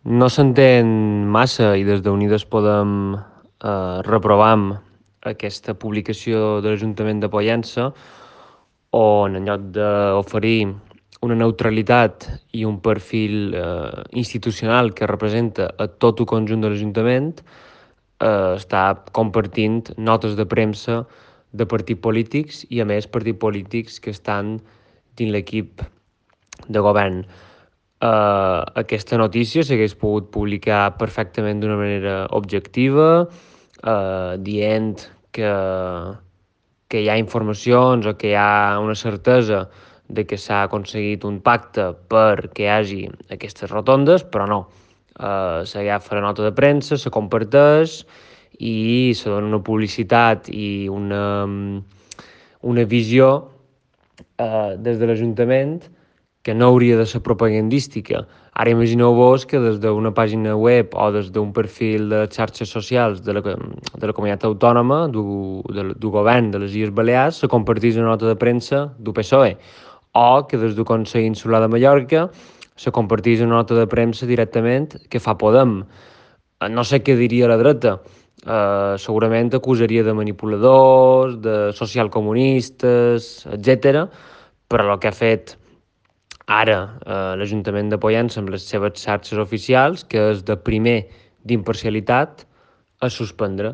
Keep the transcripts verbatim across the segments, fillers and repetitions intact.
no s'entén massa i des d'Unides Podem eh, reprovam aquesta publicació de l'Ajuntament de Pollença on en lloc d'oferir una neutralitat i un perfil eh, institucional que representa a tot el conjunt de l'Ajuntament, eh, està compartint notes de premsa de partits polítics i, a més, partits polítics que estan dins l'equip de govern. Uh, aquesta notícia s'hagués pogut publicar perfectament d'una manera objectiva, uh, dient que, que hi ha informacions o que hi ha una certesa de que s'ha aconseguit un pacte perquè hi hagi aquestes rotondes, però no. Uh, s'agafa la nota de premsa, se comparteix i se dona una publicitat i una, una visió uh, des de l'Ajuntament que no hauria de ser propagandística. Ara imagineu-vos que des d'una pàgina web o des d'un perfil de xarxes socials de la, de la comunitat autònoma, du, de, du govern de les Illes Balears, se compartís una nota de premsa du P S O E, o que des del Consell Insular de Mallorca se compartís una nota de premsa directament que fa Podem. No sé què diria la dreta. Uh, segurament acusaria de manipuladors, de socialcomunistes, etcètera. Però el que ha fet ara eh, l'Ajuntament de Pollença amb les seves xarxes oficials, que és de primer d'imparcialitat, a suspendre.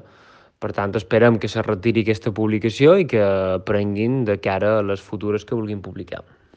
Per tant, esperem que se retiri aquesta publicació i que prenguin de cara a les futures que vulguin publicar.